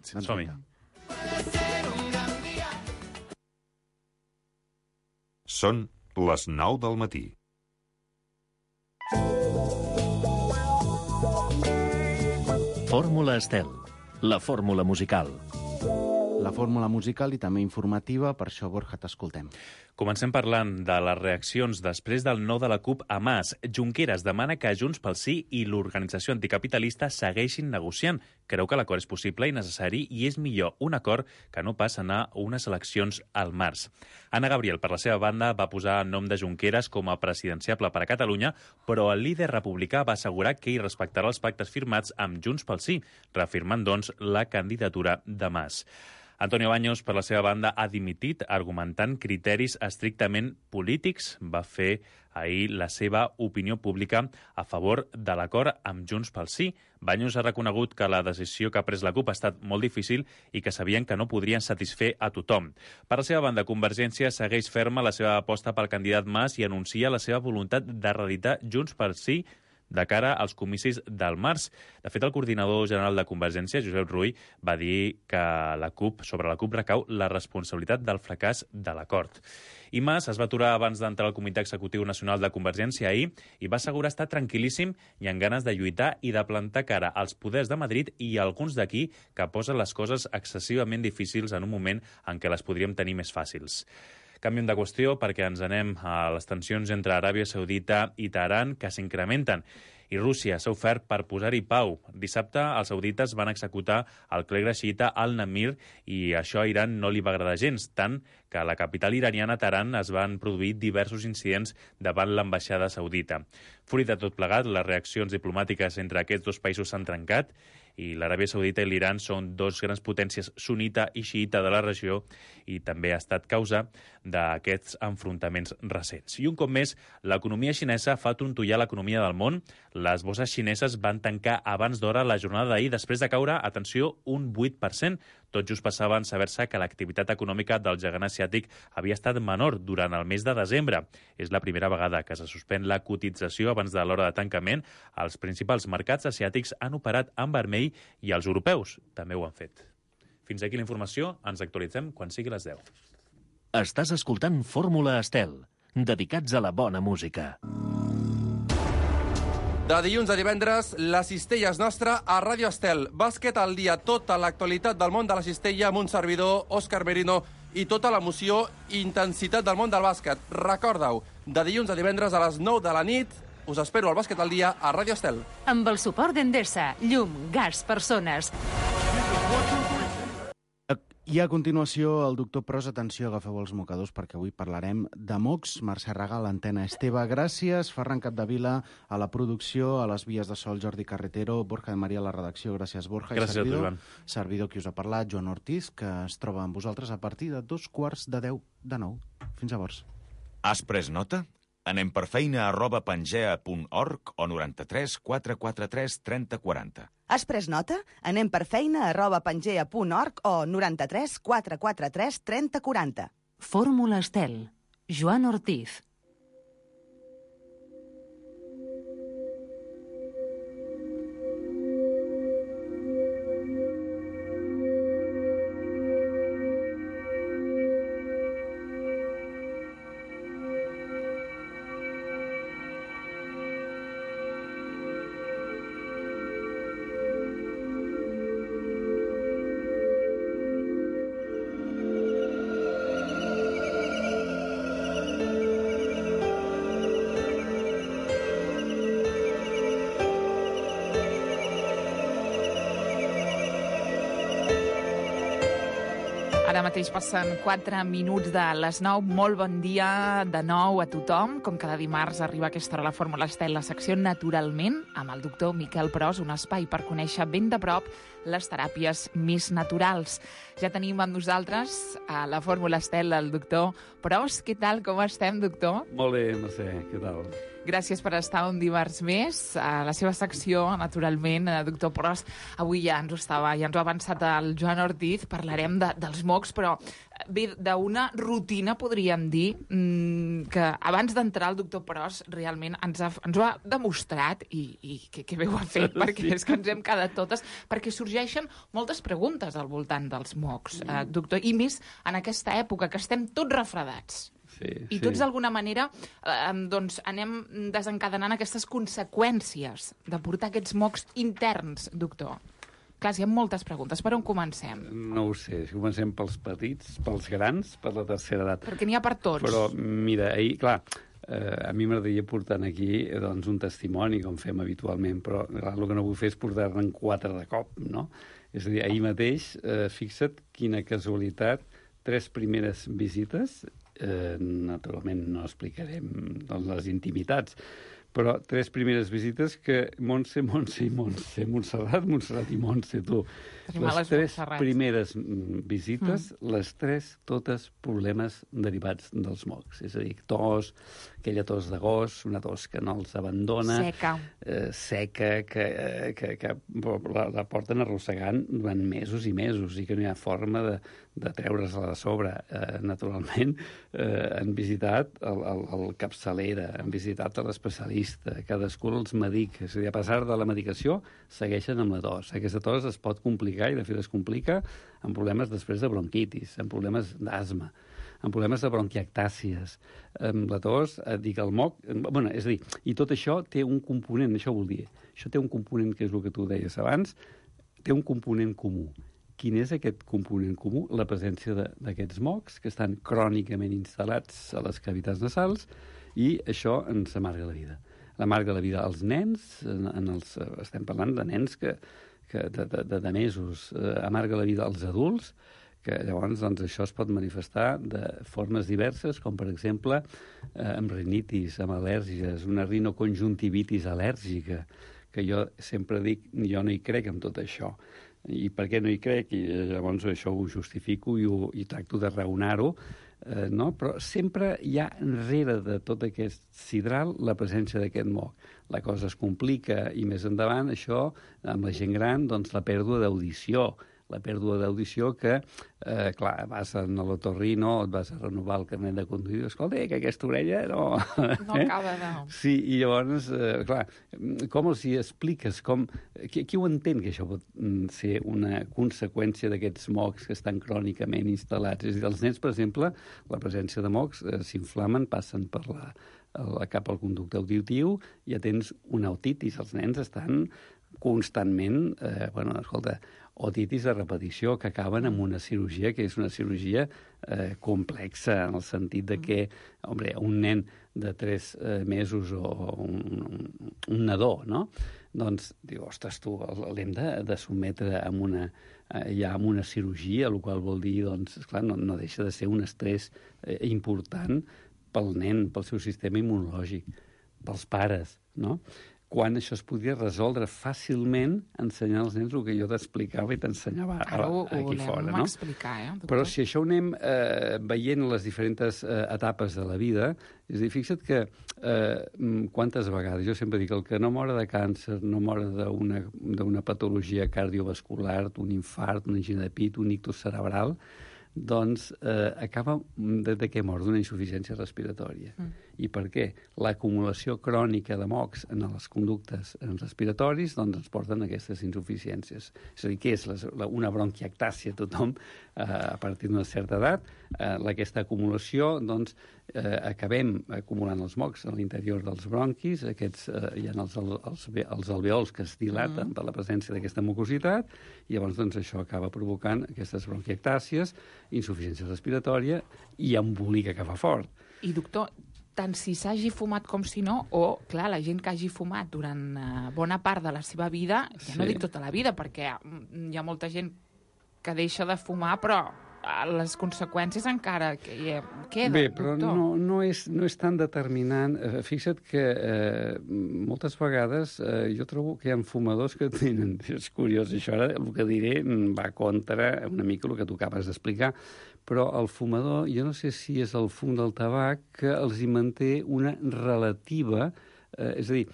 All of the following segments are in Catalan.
Sí, som-hi. Són les 9 del matí. Fórmula Estel, la fórmula musical. La fórmula musical i també informativa, per això, Borja, t'escoltem. Comencem parlant de les reaccions després del no de la CUP a Mas. Junqueras demana que Junts pel Sí i l'organització anticapitalista segueixin negociant. Creu que l'acord és possible i necessari i és millor un acord que no pas anar a unes eleccions al març. Anna Gabriel, per la seva banda, va posar el nom de Junqueras com a presidenciable per a Catalunya, però el líder republicà va assegurar que hi respectarà els pactes firmats amb Junts pel Sí, reafirmant, doncs, la candidatura de Mas. Antonio Baños, per la seva banda, ha dimitit argumentant criteris estrictament polítics. Va fer ahir la seva opinió pública a favor de l'acord amb Junts pel Sí. Baños ha reconegut que la decisió que ha pres la CUP ha estat molt difícil i que sabien que no podrien satisfer a tothom. Per la seva banda, Convergència segueix ferma la seva aposta pel candidat Mas i anuncia la seva voluntat de reeditar Junts pel Sí de cara als comicis del març. De fet, el coordinador general de Convergència, Josep Rull, va dir que sobre la CUP recau la responsabilitat del fracàs de l'acord. I Mas es va aturar abans d'entrar al Comitè Executiu Nacional de Convergència ahir i va assegurar estar tranquil·líssim i amb ganes de lluitar i de plantar cara als poders de Madrid i alguns d'aquí que posen les coses excessivament difícils en un moment en què les podríem tenir més fàcils. Canviem de qüestió perquè ens anem a les tensions entre Aràbia Saudita i Teheran que s'incrementen i Rússia s'ha ofert per posar-hi pau. Dissabte els saudites van executar el clergue xiïta al-Namir i això a Iran no li va agradar gens, tant que a la capital iraniana, Teheran, es van produir diversos incidents davant l'ambaixada saudita. Fruit de tot plegat, les reaccions diplomàtiques entre aquests dos països s'han trencat i l'Aràbia Saudita i l'Iran són dos grans potències sunita i xiïta de la regió i també ha estat causa d'aquests enfrontaments recents. I un cop més, l'economia xinesa fa trontollar l'economia del món. Les borses xineses van tancar abans d'hora la jornada d'ahir després de caure, atenció, un 8%. Tot just passaven saber-se que l'activitat econòmica del gegant asiàtic havia estat menor durant el mes de desembre. És la primera vegada que se suspèn la cotització abans de l'hora de tancament. Els principals mercats asiàtics han operat en vermell i els europeus també ho han fet. Fins aquí la informació. Ens actualitzem quan sigui les 10. Estàs escoltant Fórmula Estel, dedicats a la bona música. De dilluns a divendres, la cistella és nostra a Ràdio Estel. Bàsquet al dia, tota l'actualitat del món de la cistella amb un servidor, Òscar Merino, i tota l'emoció i intensitat del món del bàsquet. Recorda-ho, de dilluns a divendres a les 9 de la nit, us espero al Bàsquet al dia a Ràdio Estel. Amb el suport d'Endesa, llum, gas, persones. I a continuació, el doctor Pros, atenció, agafeu els mocadors perquè avui parlarem de mocs. Mercè Regal, l'antena Esteve, gràcies. Ferran Capdevila, a la producció, a les vies de sol, Jordi Carretero, Borja de Maria a la redacció, gràcies, Borja. Gràcies a tu, Joan. Servidor qui us ha parlat, Joan Ortiz, que es troba amb vosaltres a partir de 2:45 de 9. Fins llavors. Has pres nota? Anem per feina @pangea.org o 93 443 30 40. Has pres nota? Anem per feina @pangea.org o 93 443 30 40. Fórmula Estel, Joan Ortiz. Ara mateix passen 4 minuts de les 9. Molt bon dia de nou a tothom. Com cada dimarts arriba a aquesta hora la Fórmula Estel, la secció Naturalment, amb el doctor Miquel Pros, un espai per conèixer ben de prop les teràpies més naturals. Ja tenim amb nosaltres a la Fórmula Estel el doctor Pros. Què tal, com estem, doctor? Molt bé, Mercè, què tal? Gràcies per estar un dimarts més a la seva secció, naturalment, doctor Pros. Avui ja ens ho ha avançat el Joan Ortiz, parlarem dels mocs, però bé, d'una rutina, podríem dir, que abans d'entrar el doctor Pros realment ens ho ha demostrat, i que bé ho ha fet, perquè és que ens hem quedat totes, perquè sorgeixen moltes preguntes al voltant dels mocs, doctor, i més en aquesta època que estem tots refredats. I tots, d'alguna manera, doncs, anem desencadenant aquestes conseqüències de portar aquests mocs interns, doctor. Clar, hi ha moltes preguntes. Per on comencem? No ho sé. Si comencem pels petits, pels grans, per la tercera edat. Perquè n'hi ha per tots. Però, mira, clar, a mi m'agradaria portar aquí doncs, un testimoni, com fem habitualment, però clar, el que no vull fer és portar-ne 4 de cop, no? És a dir, ahir mateix, fixa't quina casualitat, 3 primeres visites, naturalment no explicarem doncs, les intimitats, però 3 primeres visites que Montse i Montse, Montserrat i Montse, tu. Les 3 primeres visites, les 3 totes problemes derivats dels mocs. És a dir, tos, aquella tos de gos, una tos que no els abandona. Seca, que la porten arrossegant durant mesos i mesos i que no hi ha forma de treure's-la de sobre. Naturalment, han visitat el capçalera, han visitat l'especialista, cadascú els medica. És a dir, a pesar de la medicació, segueixen amb la tos. Aquesta tos es pot complicar, i de fet es complica amb problemes després de bronquitis, amb problemes d'asma, amb problemes de bronquiectàcies, amb la tos, dic, el moc... Bueno, és a dir, i tot això té un component, això vol dir, això té un component que és el que tu deies abans, té un component comú. Quin és aquest component comú? La presència d'aquests mocs que estan crònicament instal·lats a les cavitats nasals i això ens amarga la vida. L'amarga la vida als nens, estem parlant de nens de mesos, amarga la vida als adults, que llavors doncs, això es pot manifestar de formes diverses, com per exemple amb rinitis, amb al·lèrgies, una rinoconjuntivitis al·lèrgica, que jo sempre dic, jo no hi crec en tot això. I per què no hi crec? I llavors això ho justifico i tracto de raonar-ho, no? Però sempre hi ha enrere de tot aquest sidral la presència d'aquest moc. La cosa es complica i més endavant això, amb la gent gran, doncs la pèrdua d'audició. La pèrdua d'audició que, clar, vas a l'otorrino, et vas a renovar el carnet de conduir, escolta, que aquesta orella no... No acaba de... Sí, i llavors, clar, com els hi expliques? Qui ho entén, que això pot ser una conseqüència d'aquests mocs que estan crònicament instal·lats? És a dir, els nens, per exemple, la presència de mocs s'inflamen, passen per cap al conducte auditiu i ja tens una otitis. Els nens estan constantment, escolta, otitis de repetició que acaben amb una cirurgia que és una cirurgia complexa en el sentit de que, un nen de 3 mesos o un nadó, no? Doncs diu, ostres, tu, l'hem de sotmetre amb una cirurgia, el qual vol dir, doncs, esclar, no deixa de ser un estrès important pel nen, pel seu sistema immunològic, pels pares, no? Quan això es podia resoldre fàcilment ensenyant als nens el que jo t'explicava i t'ensenyava aquí fora. No? Explicar, però si això ho anem veient les diferents etapes de la vida, és a dir, fixa't que quantes vegades, jo sempre dic, el que no mor de càncer, no mor d'una patologia cardiovascular, d'un infart, una angina de pit, un ictus cerebral, doncs acaba de què mor? D'una insuficiència respiratòria. I per què? L'acumulació crònica de mocs en les conductes respiratoris doncs ens porten a aquestes insuficiències. És a dir, què és una bronquiectàcia? Tothom, a partir d'una certa edat, aquesta acumulació, doncs, acabem acumulant els mocs a l'interior dels bronquis, hi ha els alveols que es dilaten per la presència d'aquesta mucositat, i llavors doncs, això acaba provocant aquestes bronquiectàcies, insuficiència respiratòria i embolica que fa fort. I, doctor, tant si s'hagi fumat com si no, o, clar, la gent que hagi fumat durant bona part de la seva vida, ja no dic tota la vida, perquè hi ha molta gent que deixa de fumar, però les conseqüències encara queden, bé, però doctor. No és tan determinant. Fixa't que moltes vegades jo trobo que hi ha fumadors que tenen... És curiós, això ara el que diré va contra una mica el que tu acabes d'explicar, però el fumador, jo no sé si és el fum del tabac, que els hi manté una relativa És a dir,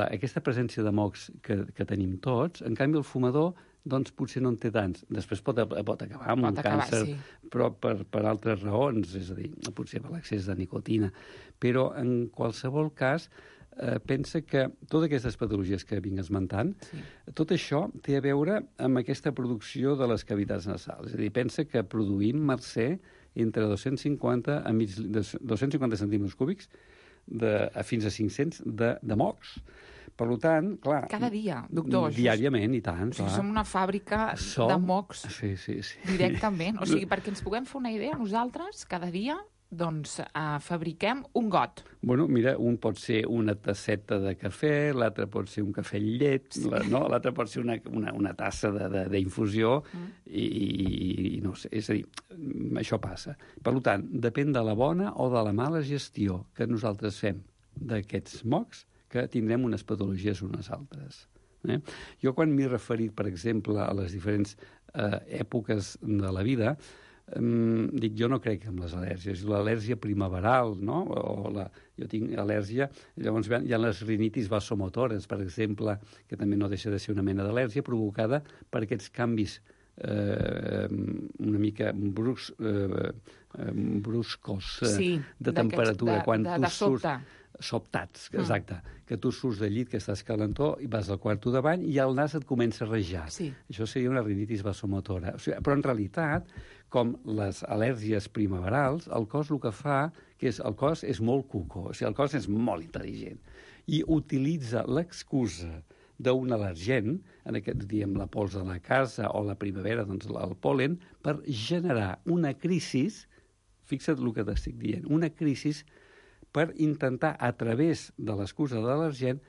aquesta presència de mocs que tenim tots, en canvi el fumador doncs potser no en té tants. Després pot acabar amb un càncer, sí, però per altres raons, és a dir, potser per l'excés de nicotina. Però en qualsevol cas, pensa que totes aquestes patologies que vinc esmentant, sí, tot això té a veure amb aquesta producció de les cavitats nasals. És a dir, pensa que produïm, Mercè, entre 250 centímetres cúbics fins a 500 de mocs. Per tant, clar... Cada dia, doctor. Diàriament, i tant, clar. Som una fàbrica de mocs directament. O sigui, perquè ens puguem fer una idea, nosaltres, cada dia, doncs, fabriquem un got. Bueno, mira, un pot ser una tasseta de cafè, l'altre pot ser un cafè amb llet, sí, l'altre pot ser una tassa d'infusió, i no sé, és a dir, això passa. Per tant, depèn de la bona o de la mala gestió que nosaltres fem d'aquests mocs, que tindrem unes patologies unes altres. Jo, quan m'he referit, per exemple, a les diferents èpoques de la vida, dic, jo no crec en les al·lèrgies. L'al·lèrgia primaveral, no? Jo tinc al·lèrgia, llavors hi ha les rinitis vasomotores, per exemple, que també no deixa de ser una mena d'al·lèrgia provocada per aquests canvis una mica bruscos de temperatura. De sobte. Sobtats, exacte. Que tu surts del llit, que estàs calentor, i vas al quarto de bany i el nas et comença a rajar. Sí. Això seria una rinitis vasomotora. O sigui, però en realitat, com les al·lèrgies primaverals, el cos el que fa, el cos és molt cuco, o sigui, el cos és molt intel·ligent, i utilitza l'excusa d'un al·lergen, en aquest, diem, la pols de la casa o la primavera, doncs el pol·len, per generar una crisi, fixa't el que t'estic dient, una crisi per intentar, a través de l'excusa de l'al·lergen,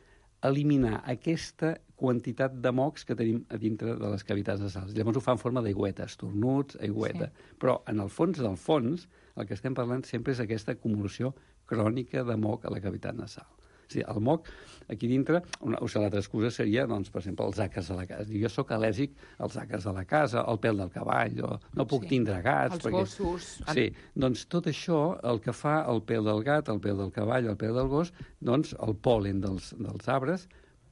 eliminar aquesta quantitat de mocs que tenim a dintre de les cavitats nasals. Llavors ho fa en forma d'aigüeta, estornuts, aigüeta. Sí. Però, en el fons del fons, el que estem parlant sempre és aquesta acumulació crònica de moc a la cavitat nasal. O sigui, el moc, aquí dintre, l'altra excusa seria, doncs, per exemple, els àcars de la casa. Jo sóc al·lèrgic als àcars de la casa, al pèl del cavall, no puc tindre gats. Els gossos. Sí, doncs tot això, el que fa el pèl del gat, el pèl del cavall, el pèl del gos, doncs el pol·len dels arbres,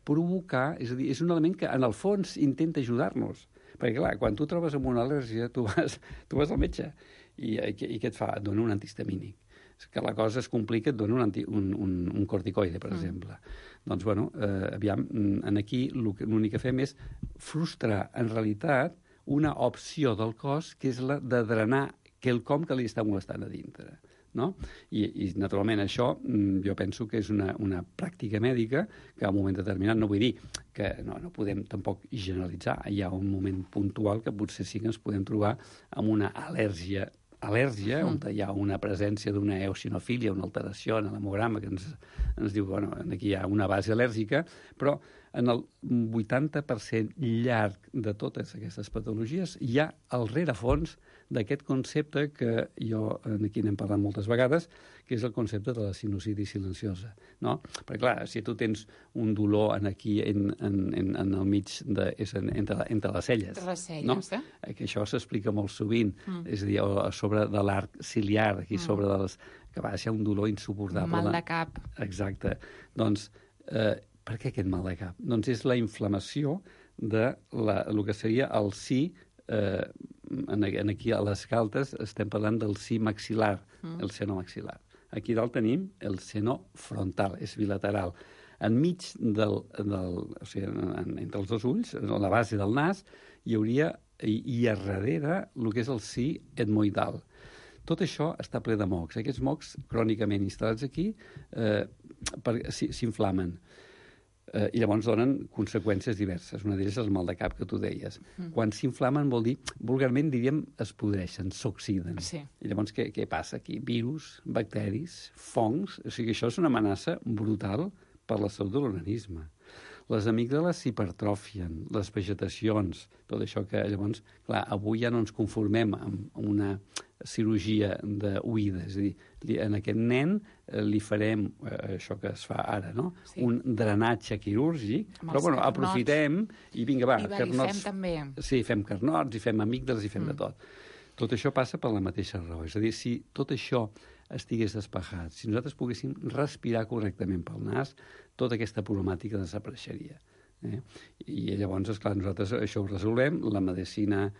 provocar, és a dir, és un element que en el fons intenta ajudar-nos. Perquè, clar, quan tu trobes amb una al·lèrgia, tu vas al metge i què et fa? Et dona un antihistamínic. Que la cosa es complica, et dona un corticoide, per exemple. Doncs, bueno, aviam, aquí l'únic que fem és frustrar, en realitat, una opció del cos, que és la de drenar quelcom que li està molestant a dintre. No? I naturalment, això jo penso que és una pràctica mèdica que a un moment determinat, no vull dir que no podem tampoc generalitzar, hi ha un moment puntual que potser sí que ens podem trobar amb una al·lèrgia, on hi ha una presència d'una eosinofília, una alteració en l'hemograma que ens diu, bueno, aquí hi ha una base al·lèrgica, però en el 80% llarg de totes aquestes patologies hi ha el rerefons d'aquest concepte que jo aquí n'hem parlat moltes vegades, que és el concepte de la sinusitis silenciosa, no? Perquè, clar, si tu tens un dolor aquí en el mig, entre les celles, no? Que això s'explica molt sovint, és a dir, a sobre de l'arc ciliar, aquí sobre que va ser un dolor insuportable. Mal de cap. Exacte. Doncs, per què aquest mal de cap? Doncs és la inflamació de el que seria el si, aquí a les galtes estem parlant del si maxil·lar, el seno maxil·lar. Aquí dalt tenim el seno frontal, és bilateral. Enmig o sigui, entre els dos ulls, a la base del nas, hi hauria, i a darrere, el que és el si etmoidal. Tot això està ple de mocs. Aquests mocs, crònicament instal·lats aquí, s'inflamen. I llavors donen conseqüències diverses. Una d'elles és el mal de cap que tu deies. Quan s'inflamen vol dir, vulgarment diríem, es podreixen, s'oxiden. Sí. I llavors què passa aquí? Virus, bacteris, fongs... O sigui, això és una amenaça brutal per la salut de l'organisme. Les amígdales s'hipertròfien, les vegetacions, tot això que llavors, clar, avui ja no ens conformem amb una cirurgia d'oïda, és a dir, en aquest nen li farem això que es fa ara, no? Sí. Un drenatge quirúrgic, però bueno, aprofitem i vinga, va, carnots. I fem també. Sí, fem carnots, i fem amígdales, i fem de tot. Tot això passa per la mateixa raó. És a dir, si tot això estigués despejat, si nosaltres poguéssim respirar correctament pel nas, tota aquesta problemàtica desapareixeria. I llavors, esclar, nosaltres això ho resolvem, la medicina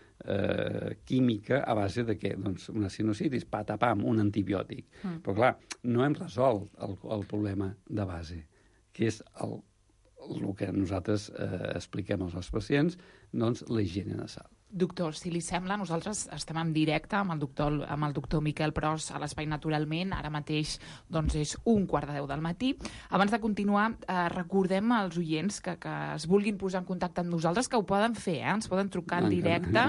química a base de què? Doncs una sinusitis, patapam, un antibiòtic. Però clar, no hem resolt el problema de base, que és el que nosaltres expliquem als nostres pacients, doncs la higiene nasal. Doctor, si li sembla, nosaltres estem en directe amb el doctor Miquel Pros a l'Espai Naturalment. Ara mateix doncs, és 1:15 del matí. Abans de continuar, recordem als oients que es vulguin posar en contacte amb nosaltres, que ho poden fer, ens poden trucar en directe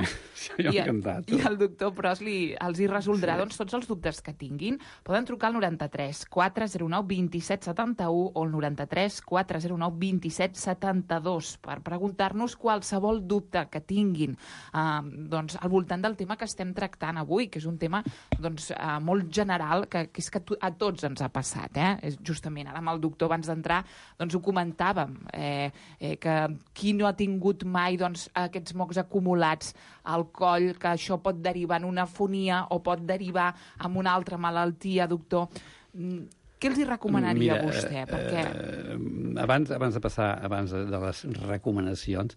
i el doctor Pros els hi resoldrà doncs, tots els dubtes que tinguin. Poden trucar al 93 409 27 71 o al 93 409 27 72 per preguntar-nos qualsevol dubte que tinguin doncs, al voltant del tema que estem tractant avui, que és un tema doncs, molt general, que és que a tots ens ha passat. Justament ara amb el doctor, abans d'entrar, doncs, ho comentàvem, que qui no ha tingut mai doncs, aquests mocs acumulats al coll, que això pot derivar en una afonia o pot derivar en una altra malaltia, doctor. Què els hi recomanaria a vostè? Perquè... Abans de passar de les recomanacions,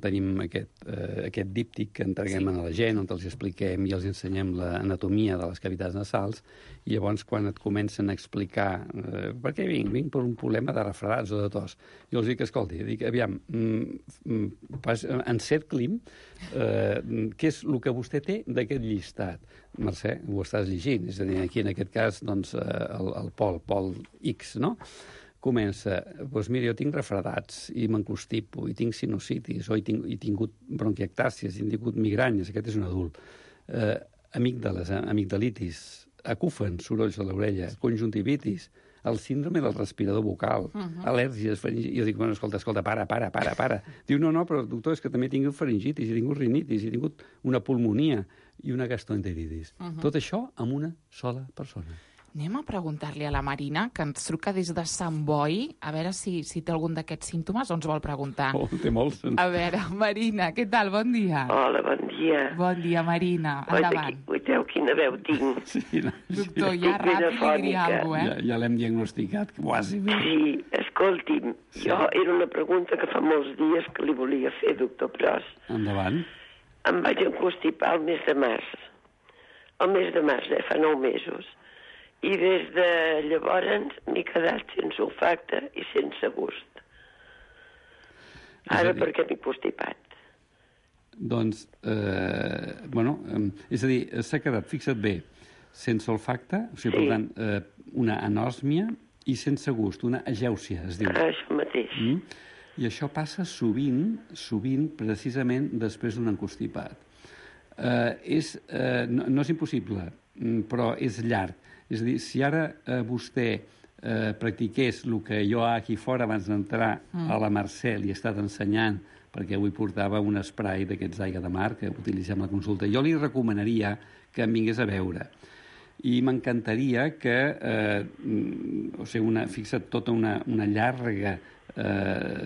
tenim aquest díptic que entreguem a la gent, on els expliquem i els ensenyem l'anatomia de les cavitats nasals, i llavors quan et comencen a explicar per què vinc per un problema de refredats o de tos, jo els dic, escolti, aviam, encercli'm què és el que vostè té d'aquest llistat. Mercè, ho estàs llegint, és a dir, aquí en aquest cas, doncs, el Pol X, no? Comença, doncs mira, jo tinc refredats i m'encostipo, i tinc sinusitis, o he tingut bronquiectàcies, he tingut migranyes, aquest és un adult, amigdalitis, acúfen, sorolls a l'orella, conjuntivitis, el síndrome del respirador bucal, al·lèrgies, faringitis... Jo dic, bueno, escolta, para. Diu, no, però doctor, és que també he tingut faringitis, he tingut rinitis, he tingut una pulmonia i una gastroenteritis. Tot això amb una sola persona. Anem a preguntar-li a la Marina, que ens truca des de Sant Boi, a veure si té algun d'aquests símptomes o ens vol preguntar. Té molts. A veure, Marina, què tal? Bon dia. Hola, bon dia. Bon dia, Marina. Endavant. Veieu quina veu tinc? Doctor, ja ràpid li diria alguna cosa, Ja l'hem diagnosticat, quasi bé. Sí, escolti'm, jo era una pregunta que fa molts dies que li volia fer, doctor Pros. Endavant. Em vaig encostipar el mes de març. El mes de març, fa 9 mesos. I des de llavors m'he quedat sense olfacte i sense gust. Ara per què m'he constipat? Doncs, és a dir, s'ha quedat, fixa't bé, sense olfacte, o sigui, per tant, una anòsmia i sense gust, una agèusia, es diu. Això mateix. I això passa sovint, precisament després d'un encostipat. No és impossible, però és llarg. És a dir, si ara vostè practiqués el que jo aquí fora abans d'entrar a la Mercè li he estat ensenyant, perquè avui portava un spray d'aquests d'aigua de mar que utilitzem a la consulta, jo li recomanaria que em vingués a veure. I m'encantaria que, fixa't, tota una llarga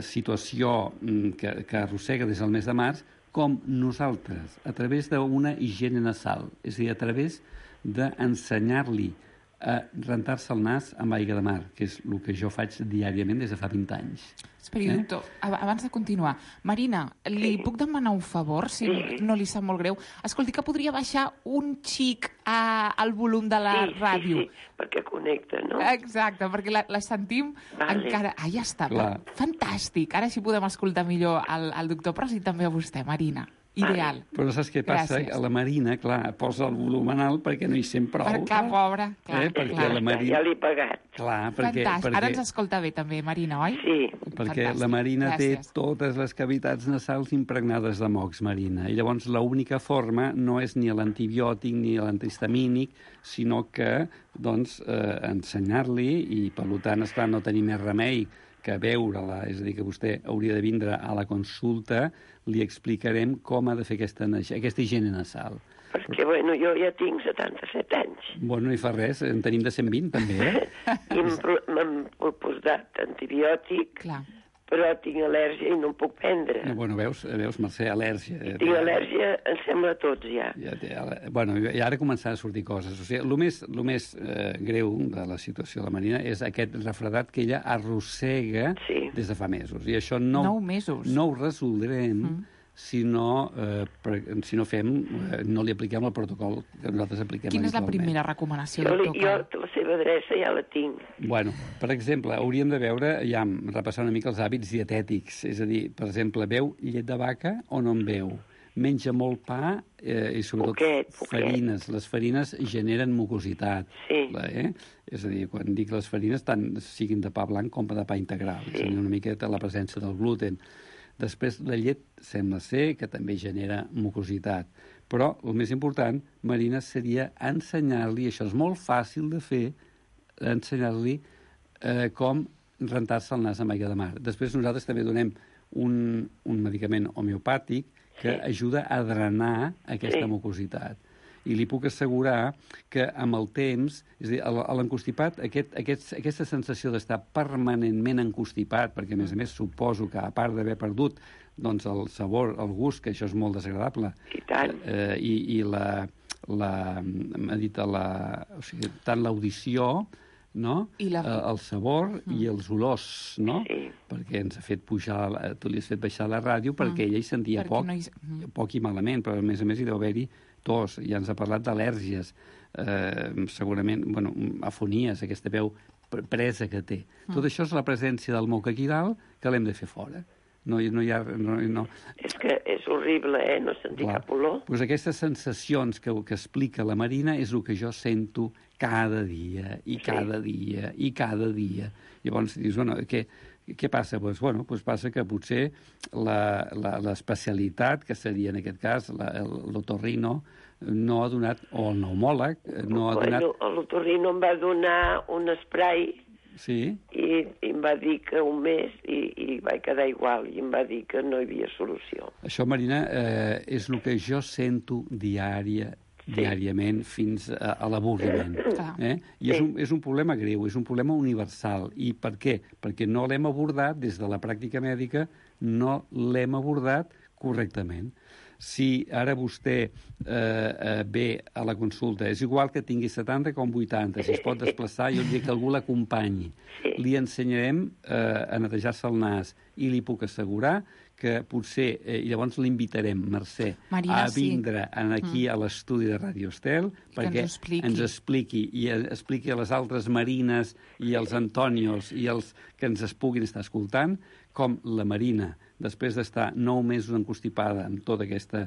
situació que arrossega des del mes de març, com nosaltres, a través d'una higiene nasal, és a dir, a través d'ensenyar-li a rentar-se el nas amb aigua de mar, que és el que jo faig diàriament des de fa 20 anys. Esperi, doctor, abans de continuar. Marina, li puc demanar un favor, si no li sap molt greu? Escolti, que podria baixar un xic al volum de la ràdio. Sí, perquè connecta, no? Exacte, perquè la sentim encara... Ah, ja està, fantàstic. Ara sí podem escoltar millor al doctor Pros i també a vostè, Marina. Ideal. Però saps què passa? A la Marina, clar, posa el volum en alt perquè no hi sent prou. Perquè, pobra, clar. Ja l'he pagat. Clar, fantàstic. Ara ens escolta bé també, Marina, oi? Sí. Perquè la Marina té totes les cavitats nasals impregnades de mocs, Marina. I llavors l'única forma no és ni l'antibiòtic ni l'antihistamínic, sinó que, doncs, ensenyar-li, i per tant, esclar, no tenir més remei que veure-la, és a dir, que vostè hauria de vindre a la consulta, li explicarem com ha de fer aquesta higiene nasal. Perquè, bueno, jo ja tinc 77 anys. Bueno, no hi fa res, en tenim de 120, també, I m'han posat antibiòtic, però tinc al·lèrgia i no em puc prendre. Bueno, veus, Mercè, al·lèrgia. Tinc al·lèrgia, em sembla a tots, ja. Bueno, i ara començaran a sortir coses. O sigui, el més greu de la situació de la Marina és aquest refredat que ella arrossega des de fa mesos. I això no ho resoldrem si no li apliquem el protocol que nosaltres apliquem habitualment. Quina és la primera recomanació, doctor? Jo la seva adreça ja la tinc. Bueno, per exemple, hauríem de veure, ja repassar una mica els hàbits dietètics. És a dir, per exemple, beu llet de vaca o no en beu? Menja molt pa i sobretot farines. Les farines generen mucositat. Sí. És a dir, quan dic les farines, tant siguin de pa blanc com de pa integral. És a dir, una miqueta la presència del gluten. Després, la llet sembla ser que també genera mucositat. Però el més important, Marina, seria ensenyar-li, això és molt fàcil de fer, ensenyar-li com rentar-se el nas amb aigua de mar. Després nosaltres també donem un medicament homeopàtic que ajuda a drenar aquesta mucositat. I li puc assegurar que amb el temps, és a dir, a l'encostipat, aquesta sensació d'estar permanentment encostipat, perquè a més suposo que a part d'haver perdut doncs, el sabor, el gust, que això és molt desagradable, i tant l'audició, no? El sabor i els olors, no? Perquè ens ha fet pujar, tu li has fet baixar la ràdio perquè ella hi sentia poc i malament, però a més hi deu haver-hi tos. Ja ens ha parlat d'al·lèrgies, segurament, afonies, aquesta veu presa que té. Tot això és la presència del moc aquí dalt que l'hem de fer fora. No hi ha... És que és horrible, no sentir cap olor. Doncs aquestes sensacions que explica la Marina és el que jo sento cada dia, i cada dia, i cada dia. Llavors dius, què passa? Doncs passa que potser l'especialitat, que seria en aquest cas l'otorrino, no ha donat, o el pneumòleg, no ha donat... L'otorrino em va donar un spray i em va dir que un mes i vaig quedar igual, i em va dir que no hi havia solució. Això, Marina, és el que jo sento diàriament fins a l'avorriment. I és un problema greu, és un problema universal. I per què? Perquè no l'hem abordat, des de la pràctica mèdica, no l'hem abordat correctament. Si ara vostè ve a la consulta, és igual que tingui 70 com 80, si es pot desplaçar, jo dic que algú l'acompanyi. Li ensenyarem a netejar-se el nas i li puc assegurar que potser, i llavors l'invitarem, Mercè, a vindre aquí a l'estudi de Radio Estel perquè ens expliqui i expliqui a les altres Marines i als Antonios i els que ens es puguin estar escoltant com la Marina, després d'estar 9 mesos encostipada amb tota aquesta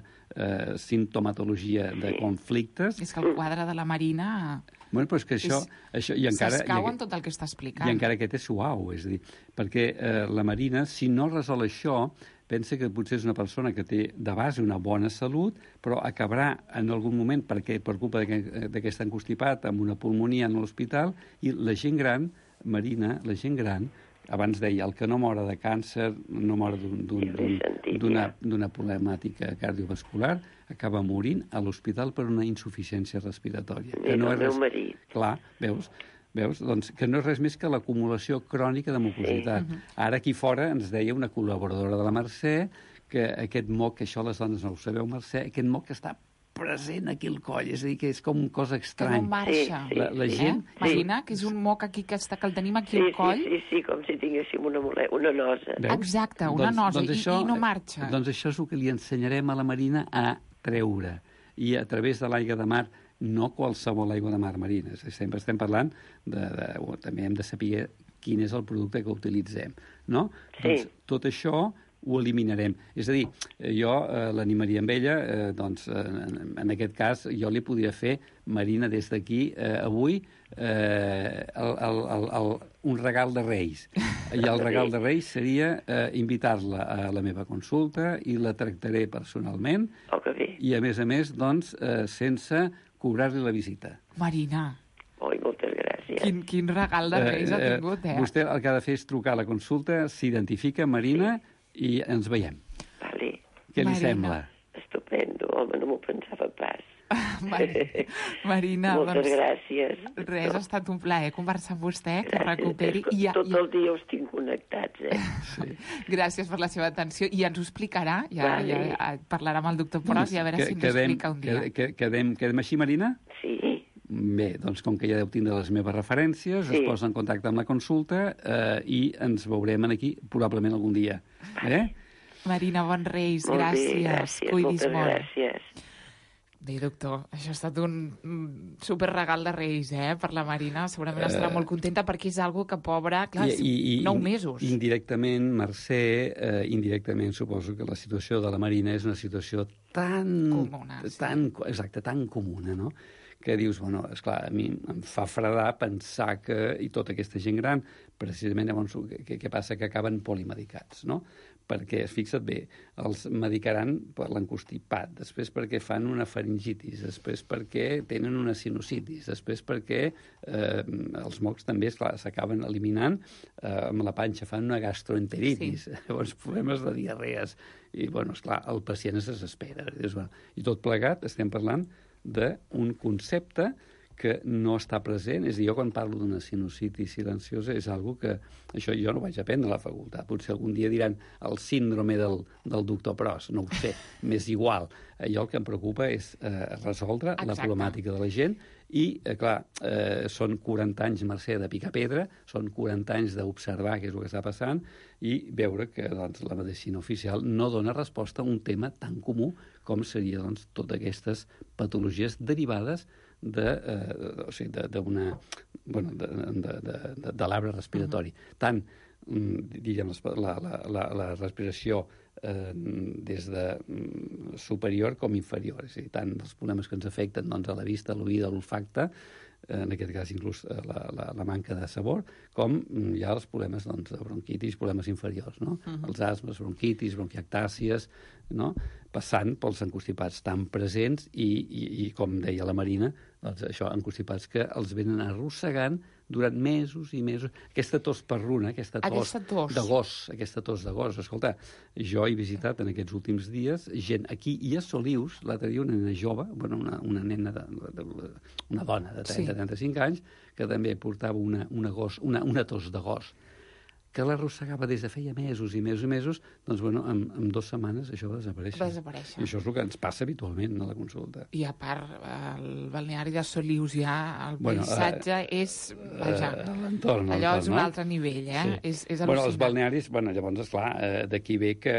simptomatologia de conflictes... És que el quadre de la Marina... Però és que això s'escau en tot el que està explicant. I encara aquest és suau, és a dir, perquè la Marina, si no resol això, pensa que potser és una persona que té de base una bona salut, però acabarà en algun moment, perquè per culpa d'aquest encostipat, amb una pulmonia en l'hospital, i la gent gran, Marina, la gent gran, abans deia, el que no mora de càncer, no mora d'una problemàtica cardiovascular, acaba morint a l'hospital per una insuficiència respiratòria. El meu marit. Clar, veus? Doncs que no és res més que l'acumulació crònica de mucositat. Ara aquí fora ens deia una col·laboradora de la Mercè que aquest moc, que això les dones no ho sabeu, Mercè, aquest moc que està present aquí al coll, és a dir, que és com una cosa estrany. Que no marxa. La gent... Imagina que és un moc aquí que el tenim aquí al coll. Sí, com si tinguéssim una nosa. Exacte, una nosa, i no marxa. Doncs això és el que li ensenyarem a la Marina a treure. I a través de l'aigua de mar, no qualsevol aigua de mar marina. Sempre estem parlant també hem de saber quin és el producte que utilitzem, no? Doncs tot això ho eliminarem. És a dir, jo l'animaria amb ella, doncs, en aquest cas, jo li podria fer, Marina, des d'aquí, avui, un regal de Reis. I el regal de Reis seria invitar-la a la meva consulta i la tractaré personalment. I, a més, doncs, sense cobrar-li la visita. Marina. Moltes gràcies. Quin regal de Reis ha tingut, Vostè el que ha de fer és trucar a la consulta, s'identifica, Marina, i ens veiem. Vale. Què li sembla? Estupendo, home, no m'ho pensava pas. Marina, moltes gràcies. Res, ha estat un plaer conversar amb vostè, que recuperi. Tot el dia us tinc connectats, Sí. Gràcies per la seva atenció, i ens ho explicarà, ja parlarà amb el doctor Pros i a veure si ens ho explica un dia. Quedem així, Marina? Sí. Bé, doncs com que ja deu tindre les meves referències, es posa en contacte amb la consulta i ens veurem aquí probablement algun dia. Marina, bons Reis, gràcies. Cuidis molt. Gràcies. Bé, doctor, això ha estat un superregal de Reis, per la Marina. Segurament estarà molt contenta perquè és algo que, pobra, clar, 9 mesos. Indirectament, Mercè, indirectament suposo que la situació de la Marina és una situació tan comuna, no?, que dius, bueno, esclar, a mi em fa fredar pensar que, i tota aquesta gent gran, precisament llavors, què passa? Que acaben polimedicats, no? Perquè, fixa't bé, els medicaran per l'encostipat, després perquè fan una faringitis, després perquè tenen una sinusitis, després perquè els mocs també, esclar, s'acaben eliminant, amb la panxa fan una gastroenteritis, llavors problemes de diarrees, i, bueno, esclar, el pacient es desespera. I tot plegat estem parlant d'un concepte que no està present. És a dir, jo quan parlo d'una sinusitis silenciosa és algo que això jo no vaig aprendre a la facultat. Potser algun dia diran el síndrome del doctor Pros, no ho sé, m'és igual. Jo el que em preocupa és resoldre la problemàtica de la gent i, clar, són 40 anys, Mercè, de picar pedra, són 40 anys d'observar què és el que està passant i veure que doncs, la medicina oficial no dona resposta a un tema tan comú com seria doncs, totes aquestes patologies derivades de l'arbre respiratori. Tant, diguem, la respiració des de superior com inferior, és a dir, tant els problemes que ens afecten doncs, a la vista, a l'oïda, a l'olfacte, en aquest cas inclús la manca de sabor, com hi ha els problemes doncs, de bronquitis, problemes inferiors, no? Els asmes, bronquitis, bronquiectàcies, no? Passant pels encostipats tan presents i com deia la Marina, doncs això, encostipats que els venen arrossegant durant mesos i mesos. Aquesta tos perruna, aquesta tos de gos. Escolta, jo he visitat en aquests últims dies gent aquí i a Solius, l'altre dia una nena jove, bueno, una nena, una dona de 30-35 anys, que també portava una tos de gos, que l'arrossegava des de feia mesos i mesos i mesos, doncs, bueno, en 2 setmanes això va desaparèixer. I això és el que ens passa habitualment a la consulta. I a part, el balneari de Solius ja, el paisatge és... L'entorn. Allò és un altre nivell, És al·lucinant. Bueno, els balnearis, llavors, esclar, d'aquí ve que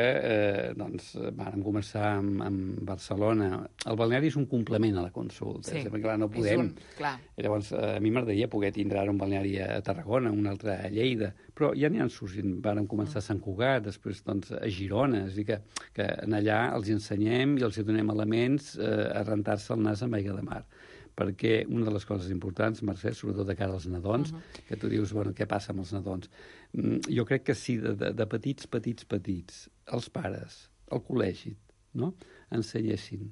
doncs, vam començar amb Barcelona. El balneari és un complement a la consulta. Clar, no podem... Llavors, a mi m'agradaria poder tindre un balneari a Tarragona, un altre a Lleida, però ja n'hi han sorgit. Vàrem començar a Sant Cugat, després doncs, a Girona, és a dir, que en allà els ensenyem i els donem elements a rentar-se el nas amb aigua de mar. Perquè una de les coses importants, Mercè, sobretot de cara als nadons, que tu dius, bueno, què passa amb els nadons? Jo crec que si de petits, els pares, al col·legi, no?, ensenyessin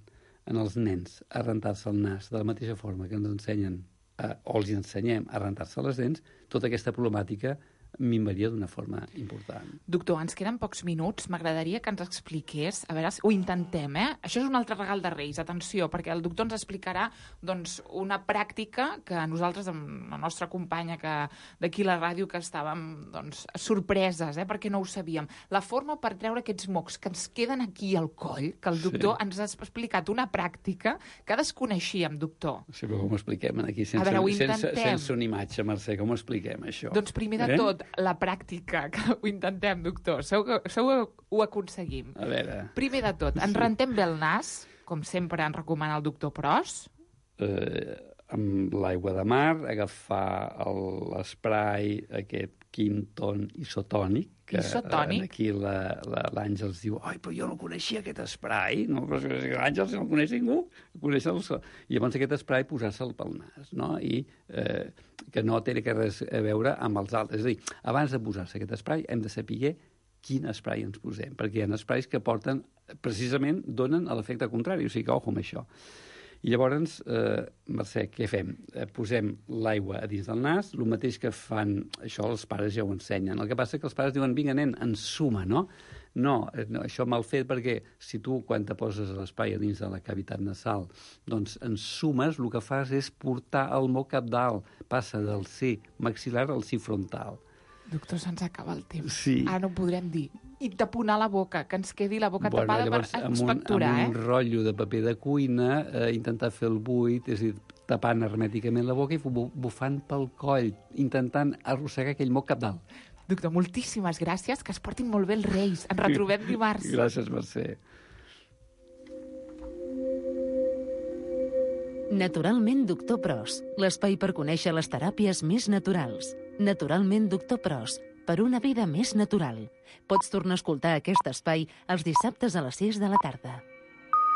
als nens a rentar-se el nas de la mateixa forma que ens ensenyen o els ensenyem a rentar-se les dents, tota aquesta problemàtica minvaria d'una forma important. Doctor, ens queden pocs minuts. M'agradaria que ens expliqués, a veure, ho intentem, Això és un altre regal de Reis, atenció, perquè el doctor ens explicarà doncs, una pràctica que nosaltres, amb la nostra companya d'aquí a la ràdio, que estàvem doncs, sorpreses, perquè no ho sabíem. La forma per treure aquests mocs que ens queden aquí al coll, que el doctor ens ha explicat una pràctica que desconeixíem, doctor. Sí, però com ho expliquem aquí? Sense una imatge, Mercè, com ho expliquem, això? Doncs primer de tot, la pràctica, que ho intentem, doctor. Segur que ho aconseguim. A veure... Primer de tot, ens rentem bé el nas, com sempre ens recomana el doctor Pros. Amb l'aigua de mar, agafar l'esprai, aquest Quinton isotònic, que aquí l'Àngels diu, ai, però jo no coneixia aquest esprai, no? Però l'Àngels no el coneix ningú, i llavors aquest esprai posar-se'l pel nas, no? I que no té res a veure amb els altres. És a dir, abans de posar-se aquest esprai hem de saber quin esprai ens posem, perquè hi ha esprais que porten, precisament, donen l'efecte contrari, o sigui que ojo amb això. I llavors, Mercè, què fem? Posem l'aigua a dins del nas, el mateix que fan, això els pares ja ho ensenyen. El que passa és que els pares diuen, vinga, nen, ensuma, no? No, això mal fet perquè si tu, quan te poses l'espai a dins de la cavitat nasal, doncs en sumes, el que fas és portar el moc cap dalt, passa del C maxil·lar al C frontal. Doctor, se'ns acaba el temps. Sí. Ara no ho podrem dir. I taponar la boca, que ens quedi la boca tapada llavors, per expectorar, amb un rotllo de paper de cuina, intentar fer el buit, és a dir, tapant hermèticament la boca i bufant pel coll, intentant arrossegar aquell moc cap dalt. Doctor, moltíssimes gràcies, que es portin molt bé els Reis. Ens retrobem dimarts. Gràcies, Mercè. Naturalment Doctor Pros, l'espai per conèixer les teràpies més naturals. Naturalment Doctor Pros, per una vida més natural. Pots tornar a escoltar aquest espai els dissabtes a les 6 de la tarda.